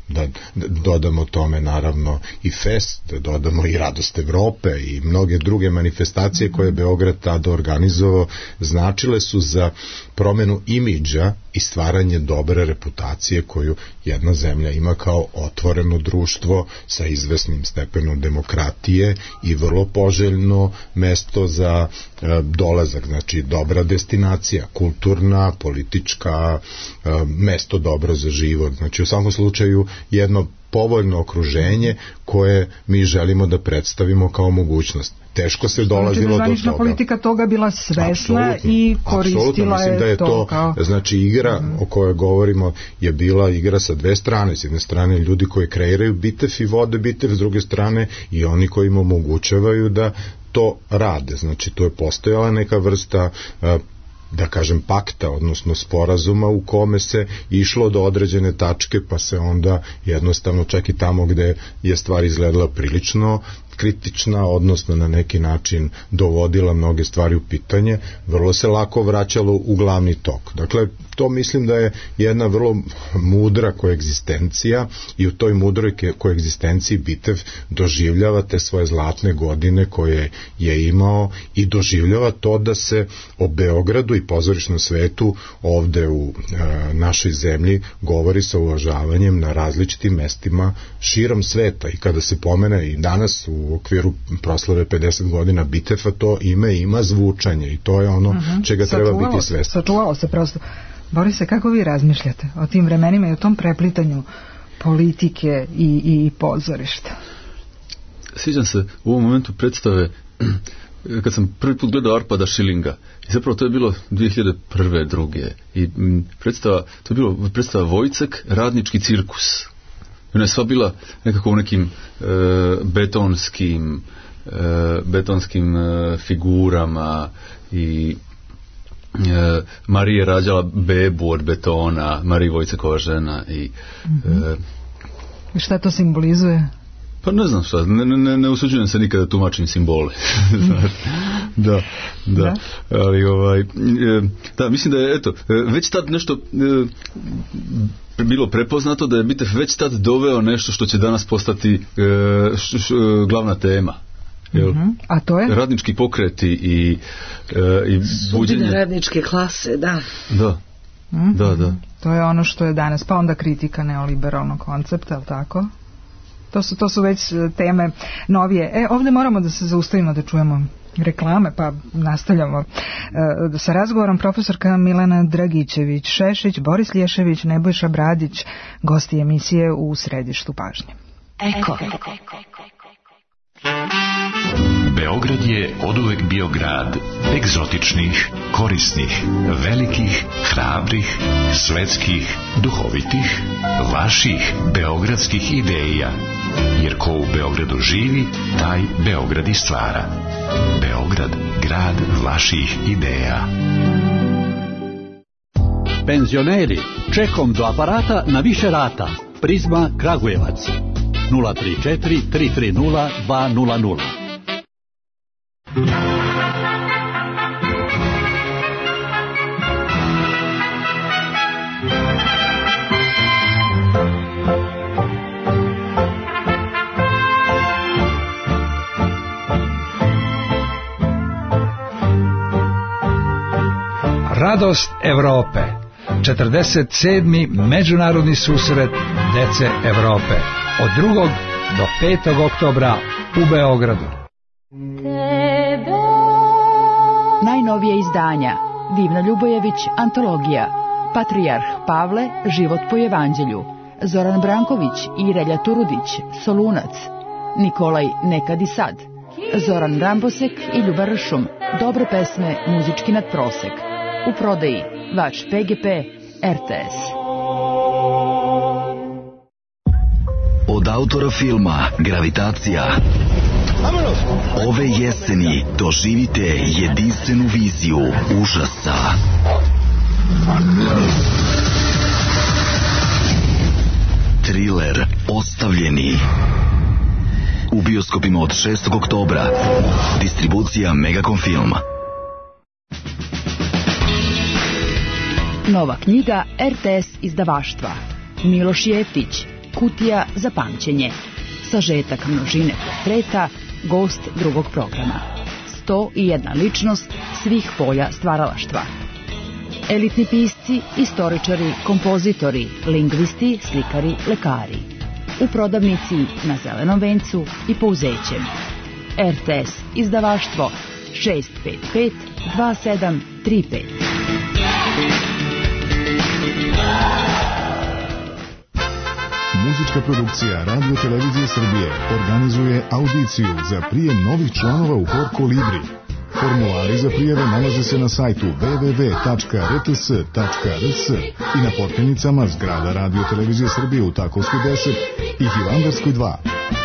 da dodamo tome naravno i Fest, da dodamo i Radost Evrope i mnoge druge manifestacije koje je Beograd tada organizovao, značile su za promenu imidža i stvaranje dobre reputacije koju jedna zemlja ima kao otvoreno društvo sa izvesnim stepenom demokratije i vrlo poželjno mesto za e, dolazak, znači dobra destinacija, kulturna, politička, e, mesto dobro za život, znači u svakom slučaju jedno povoljno okruženje koje mi želimo da predstavimo kao mogućnost. Teško se dolazilo znači, do toga. Politika toga bila svesna apsolutno, i koristila je, da je to, to kao... znači igra mm. o kojoj govorimo je bila igra sa dve strane, s jedne strane ljudi koji kreiraju Bitef i vode Bitef, s druge strane i oni koji im omogućavaju da to rade, znači to je postojala neka vrsta uh, da kažem pakta, odnosno sporazuma u kome se išlo do određene tačke, pa se onda jednostavno čak i tamo gde je stvar izgledala prilično kritična, odnosno na neki način dovodila mnoge stvari u pitanje, vrlo se lako vraćalo u glavni tok. Dakle, to mislim da je jedna vrlo mudra koegzistencija i u toj mudroj koegzistenciji Bitev doživljava te svoje zlatne godine koje je imao i doživljava to da se o Beogradu i pozorišnom svetu ovde u e, našoj zemlji govori sa uvažavanjem na različitim mestima širom sveta i kada se pomene i danas u okviru proslave pedeset godina Biteva, to ime ima zvučanje i to je ono uh-huh. čega treba sačuvalo biti svestan. Sačuvalo se prosto. Borise, kako vi razmišljate o tim vremenima i o tom preplitanju politike i, i pozorišta? Sviđam se u ovom momentu predstave kad sam prvi put gledao Arpada Šilinga i zapravo to je bilo dvije hiljade prve. druge i predstava, to je bilo predstava Vojcek, radnički cirkus. Ona je sva bila nekako u nekim e, betonskim e, betonskim e, figurama i e, Marija je rađala bebu od betona, Marija Vojcekova žena i mm-hmm. e, i šta to simbolizuje? Pa ne znam šta, ne, ne, ne usuđujem se nikada tumačim simbole. Znaš, da, da, da, ali ovaj, e, da, mislim da je, eto, već tad nešto e, bilo prepoznato, da je Bitev već tad doveo nešto što će danas postati e, š, š, glavna tema. Jel? Uh-huh. A to je? Radnički pokreti i, e, i buđenje. Sudbine radničke klase, da. Da. Uh-huh. Da, da. To je ono što je danas, pa onda kritika neoliberalnog koncepta, ali tako? To su, to su već teme novije. E, ovdje moramo da se zaustavimo da čujemo reklame, pa nastavljamo e, sa razgovorom. Profesorka Milena Dragićević-Šešić, Boris Lješević, Nebojša Bradić, gosti emisije u središtu pažnje. Eko. Beograd je oduvek bio grad egzotičnih, korisnih, velikih, hrabrih, svetskih, duhovitih, vaših beogradskih ideja. Jer ko u Beogradu živi, taj Beograd i stvara. Beograd, grad vaših ideja. Penzioneri, čekom do aparata na više rata. Prizma Kragujevac. nula tri četiri tri tri nula dva nula nula. Radost Evrope. četrdeset sedmi međunarodni susret dece Evrope. Od drugog do petog oktobra u Beogradu. Najnovije izdanja: Divna Ljubojević, antologija, Patrijarh Pavle, život po evanđelju, Zoran Branković i Relja Turudić, Solunac, Nikolaj Nekad i sad, Zoran Rambosek i Ljuba Ršum, dobre pesme, muzički nadprosek. U prodaji Vač P G P, R T S. Od autora filma Gravitacija ove jeseni doživite jedinstvenu viziju užasa. Triler Ostavljeni. U bioskopima od šestog oktobra. Distribucija Megacom Film. Nova knjiga R T S izdavaštva. Miloš Jeftić, Kutija za pamćenje. Sažetak množine portreta, gost drugog programa. sto i jedna ličnost svih polja stvaralaštva. Elitni pisci, istoričari, kompozitori, lingvisti, slikari, lekari. U prodavnici na Zelenom vencu i Pouzećem. R T S izdavaštvo šest pet pet dva sedam tri pet. Muzička produkcija Radio Televizije Srbije organizuje audiciju za prijem novih članova u Hor Kolibri. Formulari za prijave nalaze se na sajtu w w w tačka r t s tačka r s i na potpenicama zgrada Radio Televizije Srbije u Takovskoj deset i Hilandarskoj dva.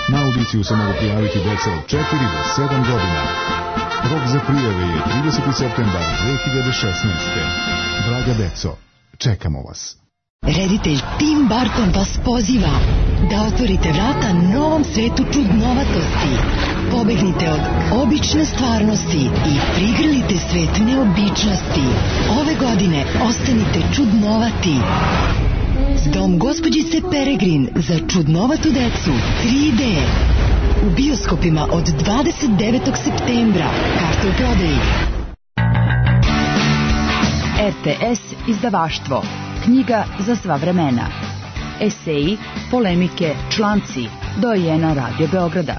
Na audiciju se mogu prijaviti deca od četiri do sedam godina. Rok za prijave je trideseti septembar dve hiljade šesnaeste. Draga deco, čekamo vas. Reditelj Tim Burton vas poziva da otvorite vrata novom svetu čudnovatosti. Pobegnite od obične stvarnosti i prigrlite svet neobičnosti. Ove godine ostanite čudnovati. Dom gospođice Peregrin za čudnovatu decu tri D. U bioskopima od dvadeset devetog septembra. Karte u prodaji. R T S izdavaštvo. Knjiga za sva vremena. Eseji, polemike, članci. Dojena Radio Beograda.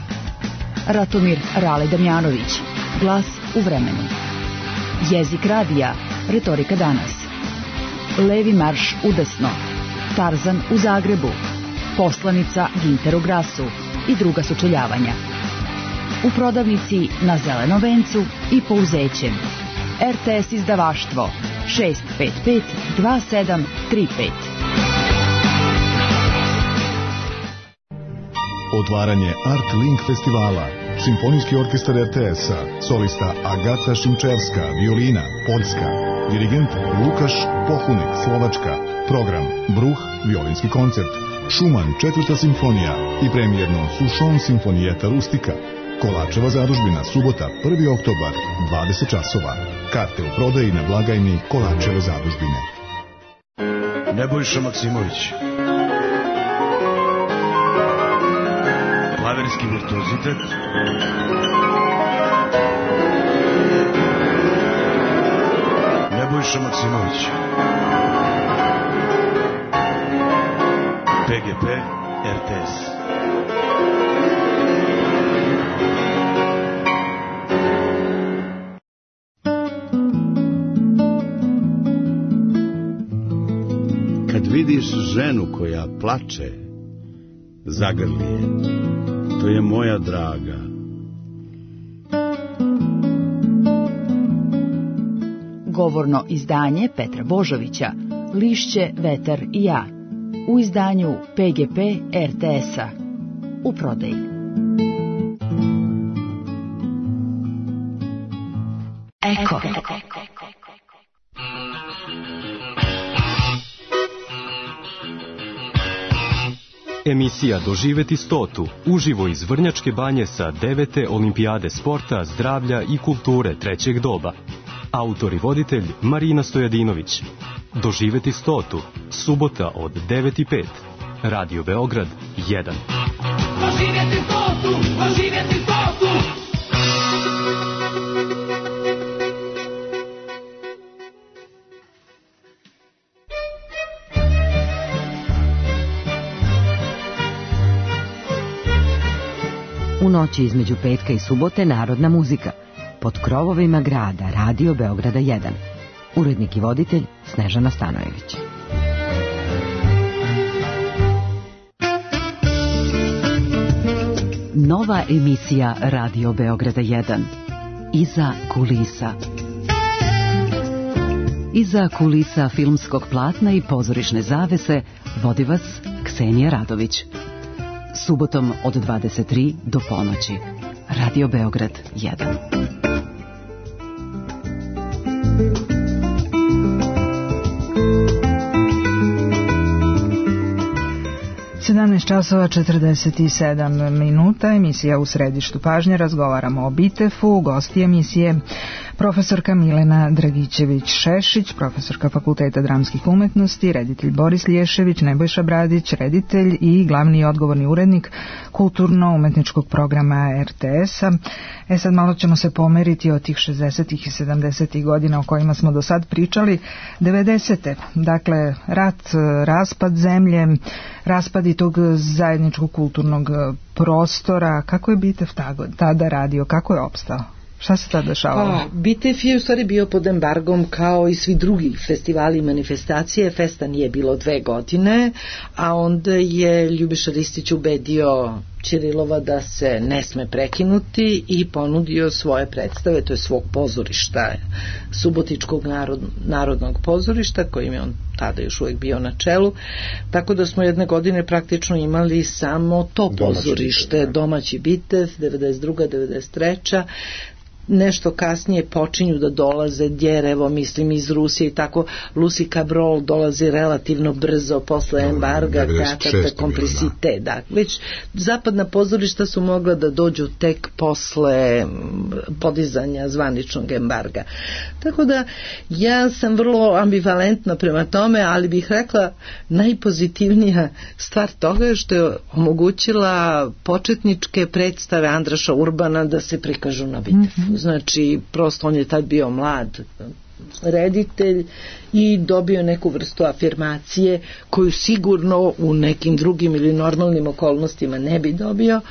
Ratomir Rale Damjanović. Glas u vremenu. Jezik radija. Retorika danas. Levi marš udesno. Tarzan u Zagrebu. Poslanica Ginter u Grasu i druga sučeljavanja. U prodavnici na Zelenom vencu i Pouzećem. R T S izdavaštvo šest pet pet dva sedam tri pet. Otvaranje Art Link festivala. Simfonijski orkestar R T S-a, solista Agata Šimčevska, violina, Poljska, dirigent Lukaš Pohunik, Slovačka, program Bruh, violinski koncert, Šuman, četvrta simfonija i premijerno Sušon simfonijeta Rustika. Kolačeva zadužbina, subota, prvi oktobar, dvadeset časova. Karte u prodaji na blagajni Kolačeve zadužbine. Nebojša Maksimović. Klaverski virtuozitet. Nebojša Maksimović. P G P R T S. Kad vidiš ženu koja plače, zagrli je. To je moja draga. Govorno izdanje Petra Božovića, Lišće, vetar i ja. U izdanju P G P R T S-a. U prodaji. Eko. Emisija Doživeti stotu, uživo iz Vrnjačke banje sa devete olimpijade sporta, zdravlja i kulture trećeg doba. Autor i voditelj Marina Stojadinović. Doživeti stotu, subota od devet i pet. Radio Beograd jedan. Doživeti stotu, doživeti stotu. U noći između petka i subote narodna muzika. Pod krovovima grada Radio Beograda jedan. Urednik i voditelj Snežana Stanojević. Nova emisija Radio Beograda jedan. Iza kulisa. Iza kulisa filmskog platna i pozorišne zavese vodi vas Ksenija Radović. Subotom od dvadeset tri do ponoći. Radio Beograd jedan. sedamnaest časova četrdeset sedam minuta, emisija U središtu pažnje, razgovaramo o Bitefu, gosti emisije profesorka Milena Dragićević-Šešić, profesorka Fakulteta dramskih umetnosti, reditelj Boris Lješević, Nebojša Bradić, reditelj i glavni i odgovorni urednik kulturno-umetničkog programa R T S-a. E sad malo ćemo se pomeriti od tih šezdesetih i sedamdesetih godina o kojima smo do sad pričali. devedesete. Dakle, rat, raspad zemlje, raspad i tog zajedničkog kulturnog prostora. Kako je Bitev tada radio? Kako je opstao? Šta se tada dešavalo? Pa, Bitef je u stvari bio pod embargom kao i svi drugi festivali i manifestacije. Festa nije bilo dve godine, a onda je Ljubiša Ristić ubedio Ćirilova da se ne sme prekinuti i ponudio svoje predstave, to je svog pozorišta, Subotičkog narod, narodnog pozorišta, kojim je on tada još uvijek bio na čelu, tako da smo jedne godine praktično imali samo to pozorište, domaći Bitev, devedeset druga devedeset treća nešto kasnije počinju da dolaze Djerevo, mislim iz Rusije i tako. Lucy Cabrol dolazi relativno brzo posle embarga, Teatr Complicité, da. Već zapadna pozorišta su mogla da dođu tek posle podizanja zvaničnog embarga. Tako da ja sam vrlo ambivalentna prema tome, ali bih rekla najpozitivnija stvar toga je što je omogućila početničke predstave Andraša Urbana da se prikažu na Bitefu. Mm-hmm. Znači, prosto on je tad bio mlad reditelj i dobio neku vrstu afirmacije koju sigurno u nekim drugim ili normalnim okolnostima ne bi dobio,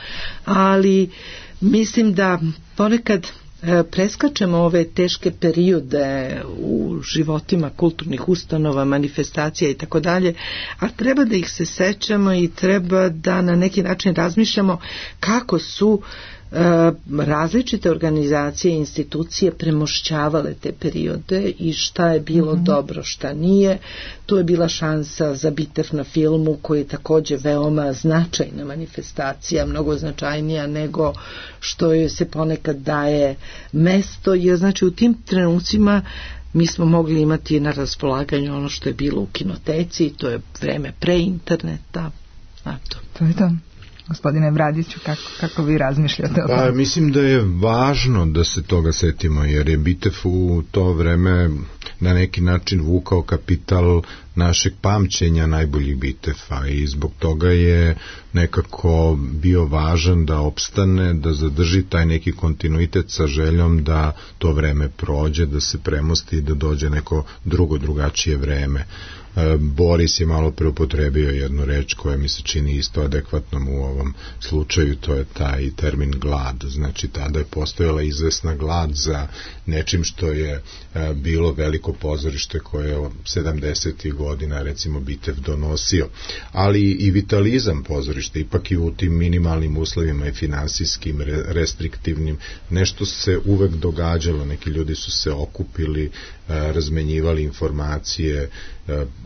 ali mislim da ponekad preskačemo ove teške periode u životima kulturnih ustanova, manifestacija i tako dalje, a treba da ih se sećamo i treba da na neki način razmišljamo kako su različite organizacije i institucije premošćavale te periode i šta je bilo mm-hmm. dobro, šta nije. Tu je bila šansa za Bitev na filmu, koji je takođe veoma značajna manifestacija, mnogo značajnija nego što joj se ponekad daje mesto, jer znači u tim trenucima mi smo mogli imati na raspolaganju ono što je bilo u kinoteci, to je vreme pre interneta. Eto. To je to. Gospodine Bradiću, kako, kako vi razmišljate o tome? Pa, mislim da je važno da se toga setimo, jer je Bitev u to vreme na neki način vukao kapital našeg pamćenja najboljih Biteva i zbog toga je nekako bio važan da opstane, da zadrži taj neki kontinuitet sa željom da to vreme prođe, da se premosti i da dođe neko drugo, drugačije vreme. Boris je malo preupotrebio jednu reč koja mi se čini isto adekvatnom u ovom slučaju, to je taj termin glad. Znači, tada je postojala izvesna glad za nečim što je bilo veliko pozorište koje je sedamdesetih godina recimo Bitev donosio, ali i vitalizam pozorišta, ipak i u tim minimalnim uslovima i finansijskim, restriktivnim, nešto se uvek događalo, neki ljudi su se okupili, razmenjivali informacije,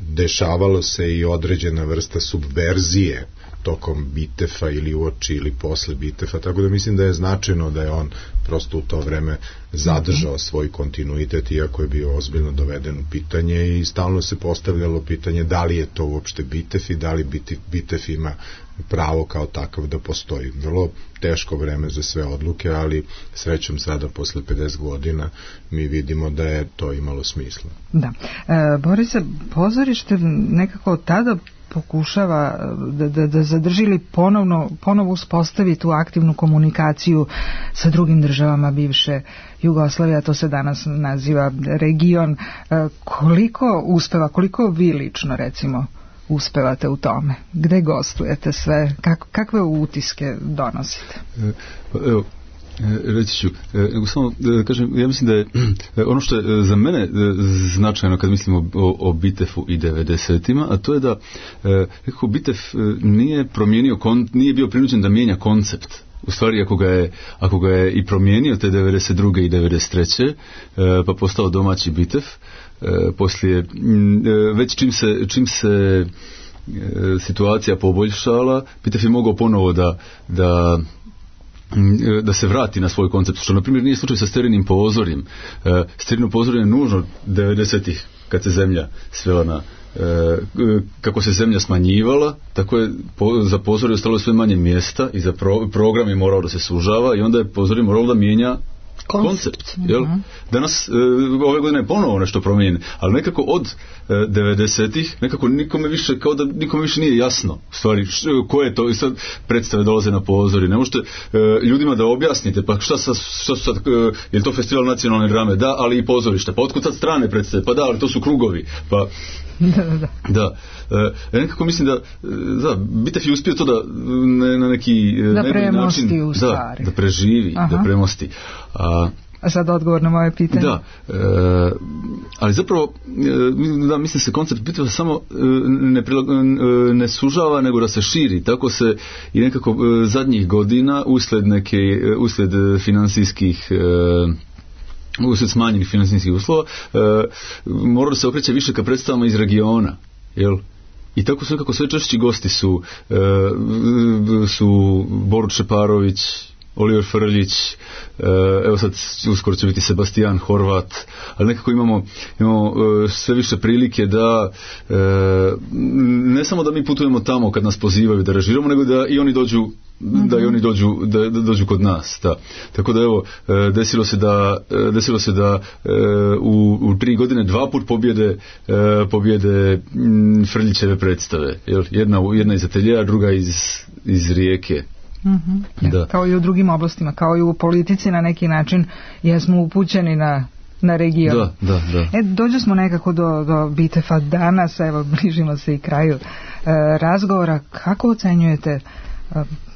dešavalo se i određena vrsta subverzije tokom Bitefa ili uoči ili posle Bitefa, tako da mislim da je značajno da je on prosto u to vreme zadržao svoj kontinuitet, iako je bio ozbiljno doveden u pitanje i stalno se postavljalo pitanje da li je to uopšte Bitev i da li Bitev ima pravo kao takav da postoji. Vrlo teško vreme za sve odluke, ali srećom sada posle pedeset godina mi vidimo da je to imalo smisla. Da. E, Borise, pozorište nekako tada pokušava da, da, da zadržili ponovno, ponovo uspostavi tu aktivnu komunikaciju sa drugim državama bivše Jugoslavije, to se danas naziva region. E, koliko uspeva, koliko vi lično recimo uspevate u tome? Gde gostujete sve? Kako, kakve utiske donosite? Evo, reći ću, nego samo da kažem, ja mislim da je ono što je za mene značajno kad mislim o, o, o Bitefu i devedesetima, a to je da nekako Bitev nije promijenio, nije bio prinuđen da mijenja koncept. U stvari, ako ga je, ako ga je i promijenio te devedeset druge i devedeset treće pa postao domaći Bitev, poslije, već čim se, čim se situacija poboljšala, Bitev je mogao ponovo da, da da se vrati na svoj koncept, što na primjer nije slučaj sa sterinim pozorjem. Sterino pozorje je nužno devedesetih kad se zemlja svela na kako se zemlja smanjivala, tako je za pozorje ostalo sve manje mjesta i za pro, program je morao da se sužava i onda je pozorje moralo da mijenja koncept, jel? Uh-huh. Danas, e, ove godine je ponovo nešto promijenjeno, ali nekako od e, devedesetih nekako nikome više, kao da nikome više nije jasno u stvari š, ko je to, i sad predstave dolaze na pozori, ne možete e, ljudima da objasnite, pa šta, sa, šta su sad, e, je li to festival nacionalne drame? Da, ali i pozorišta, pa otkud sad strane predstave? Pa da, ali to su krugovi, pa da, da. da. E, nekako mislim da, da Bitev je uspio to da ne, na neki da premosti u stvari. Da, da preživi, Aha. da premosti. A, A sad odgovor na moje pitanje. Da, e, ali zapravo e, da, mislim se koncept Biteva samo e, ne, prilag, e, ne sužava, nego da se širi. Tako se i nekako e, zadnjih godina usled neke, e, usled finansijskih e, usled smanjenih finansijskih uslova e, mora da se okreće više ka predstavama iz regiona, jel? I tako su nekako sve češći gosti su e, su Borut Šeparović, Oliver Frljić, evo sad uskoro će biti Sebastian Horvat, ali nekako imamo, imamo sve više prilike da ne samo da mi putujemo tamo kad nas pozivaju da režiramo, nego da i oni dođu da i oni dođu, da, da dođu kod nas. Da. Tako da evo, desilo se da, desilo se da u, u tri godine dva put pobjede, pobjede Frljićeve predstave. Jedna, jedna iz ateljea, druga iz, iz Rijeke. Mm-hmm. Da. Kao i u drugim oblastima, kao i u politici na neki način jesmo upućeni na, na region. Da, da, da. E, dođe smo nekako do, do Bitefa danas, evo bližimo se i kraju e, razgovora. Kako ocenjujete, e,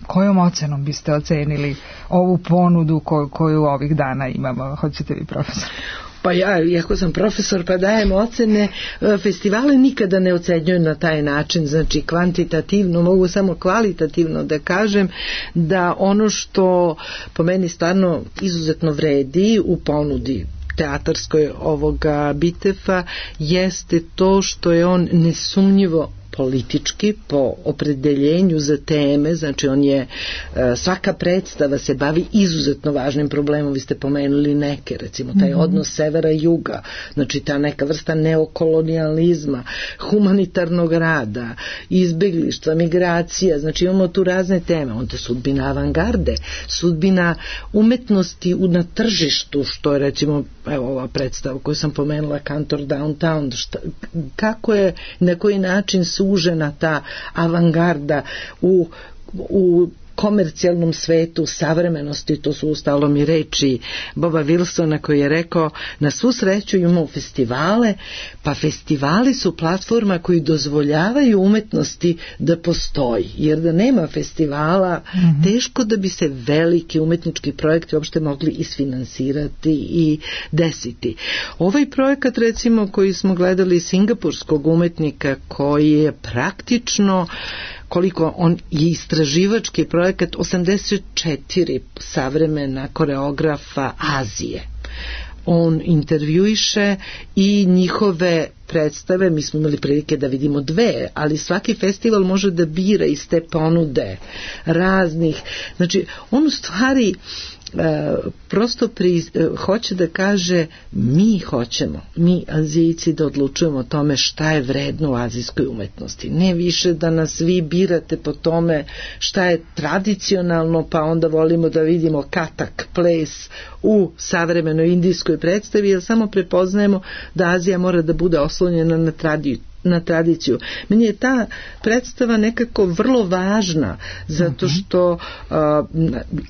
kojom ocenom biste ocenili ovu ponudu ko, koju ovih dana imamo? Hoćete vi, profesor? Pa ja, iako sam profesor pa dajem ocene, festivale nikada ne ocenjuju na taj način, znači kvantitativno, mogu samo kvalitativno da kažem da ono što po meni stvarno izuzetno vredi u ponudi teatarskoj ovoga Bitefa jeste to što je on nesumnjivo politički po opredeljenju za teme, znači on je, svaka predstava se bavi izuzetno važnim problemom, vi ste pomenuli neke, recimo taj mm-hmm. odnos severa i juga, znači ta neka vrsta neokolonijalizma, humanitarnog rada, izbeglištva, migracija, znači imamo tu razne teme, onda sudbina avangarde, sudbina umetnosti na tržištu, što je recimo, evo ova predstava koju sam pomenula, Kantor Downtown, šta, kako je, na koji način sužena ta avangarda u, u komercijalnom svetu savremenosti, to su ustalom i reči Boba Wilsona koji je rekao, na svu sreću imamo festivale, pa festivali su platforma koji dozvoljavaju umetnosti da postoji, jer da nema festivala mm-hmm. teško da bi se veliki umetnički projekti uopšte mogli isfinansirati i desiti. Ovaj projekat recimo koji smo gledali singapurskog umetnika koji je praktično koliko on je istraživački projekat osamdeset četiri savremena koreografa Azije. On intervjuiše i njihove predstave, mi smo imali prilike da vidimo dve, ali svaki festival može da bira iz te ponude raznih, znači on u stvari E, prosto pri, e, hoće da kaže mi hoćemo, mi Azijci da odlučujemo o tome šta je vredno u azijskoj umetnosti, ne više da nas vi birate po tome šta je tradicionalno pa onda volimo da vidimo katak ples u savremenoj indijskoj predstavi, jer samo prepoznajemo da Azija mora da bude oslonjena na tradiciju na tradiciju. Meni je ta predstava nekako vrlo važna zato što a,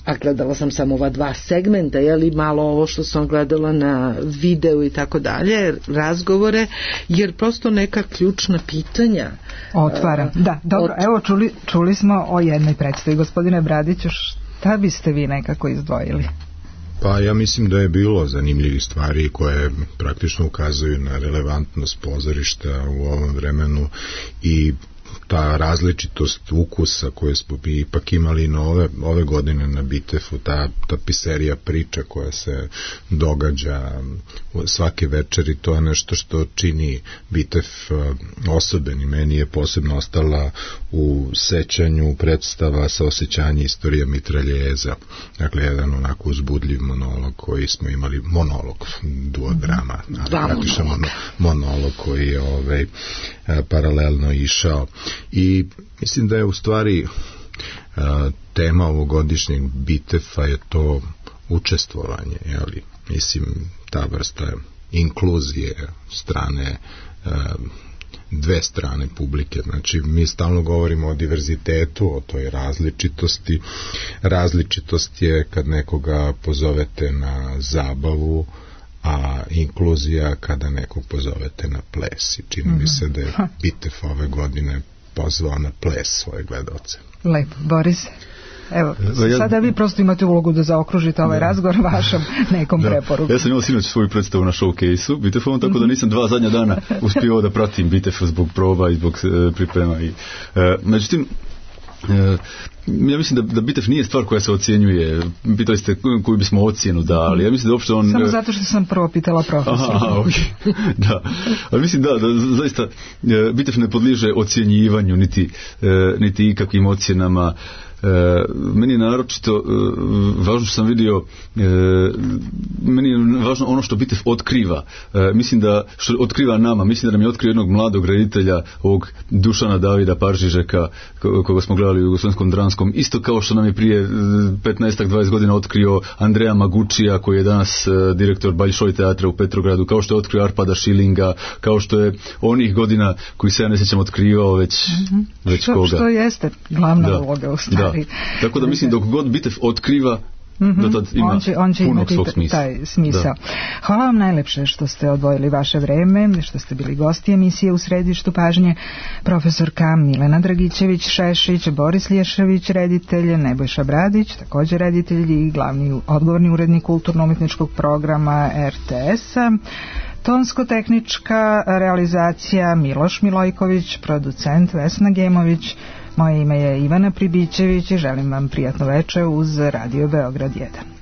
a gledala sam samo ova dva segmenta, jeli malo ovo što sam gledala na videu i tako dalje, razgovore, jer prosto neka ključna pitanja otvara. A, da, dobro, ot... evo čuli, čuli smo o jednoj predstavi. Gospodine Bradiću, šta biste vi nekako izdvojili? Pa ja mislim da je bilo zanimljivih stvari koje praktično ukazuju na relevantnost pozorišta u ovom vremenu i ta različitost ukusa koje smo bi ipak imali na ove, ove godine na Bitefu, ta tapiserija priča koja se događa svake večeri, to je nešto što čini Bitef osoben i meni je posebno ostala u sećanju predstava sa osjećanje istorija mitraljeza, dakle jedan onako uzbudljiv monolog koji smo imali, monolog, duodrama, praktično monolog. monolog koji je ovaj, paralelno išao i mislim da je u stvari a, tema ovogodišnjeg Bitefa je to učestvovanje, jeli? Mislim ta vrsta inkluzije strane a, dve strane publike, znači mi stalno govorimo o diverzitetu, o toj različitosti. Različitost je kad nekoga pozovete na zabavu, a inkluzija kada nekog pozovete na ples i čini mi se da je Bitef ove godine pozvao na ples svoje gledalce. Lepo, Boris. Evo, sada vi prosto imate ulogu da zaokružite ovaj da. razgovor vašom nekom da. preporukom. Ja sam imao sinoć svoju predstavu na showcase-u Bitefovom, tako da nisam dva zadnja dana uspio da pratim Bitef zbog proba i zbog e, priprema. I, e, međutim, e, ja mislim da, da Bitef nije stvar koja se ocjenjuje. Pitali ste koju bismo ocjenu dali. Ja mislim da uopšte on... Samo zato što sam prvo pitala profesora. Aha, okay. Da. Ali mislim da, da zaista Bitef ne podliježe ocjenjivanju niti, niti ikakvim ocjenama. meni je naročito e, važno što sam vidio, e, meni je važno ono što Bitev otkriva. E, mislim da, što otkriva nama, mislim da nam je otkrio jednog mladog reditelja, ovog Dušana Davida Paržižeka, koga smo gledali u Jugoslovenskom dranskom, isto kao što nam je prije petnaest dvadeset godina otkrio Andreja Magučija, koji je danas e, direktor Baljšoj teatra u Petrogradu, kao što je otkrio Arpada Šilinga, kao što je onih godina koji se ja ne sjećam otkrivao već, mm-hmm. već što, koga. Što jeste glavna da, uloga u stvari. Da. Tako da mislim dok god Bitev otkriva, mm-hmm. do tad ima on će, on će punog imati svog smisla. Taj smisao. Da. Hvala vam najlepše što ste odvojili vaše vreme, što ste bili gosti emisije U središtu pažnje. Profesorka Milena Dragićević-Šešić, Boris Lješević, reditelj, Nebojša Bradić, također reditelj i glavni odgovorni urednik kulturno-umetničkog programa er te es-a. Tonsko-tehnička realizacija Miloš Milojković, producent Vesna Gemović. Moje ime je Ivana Pribićević i želim vam prijatno veče uz Radio Beograd jedan.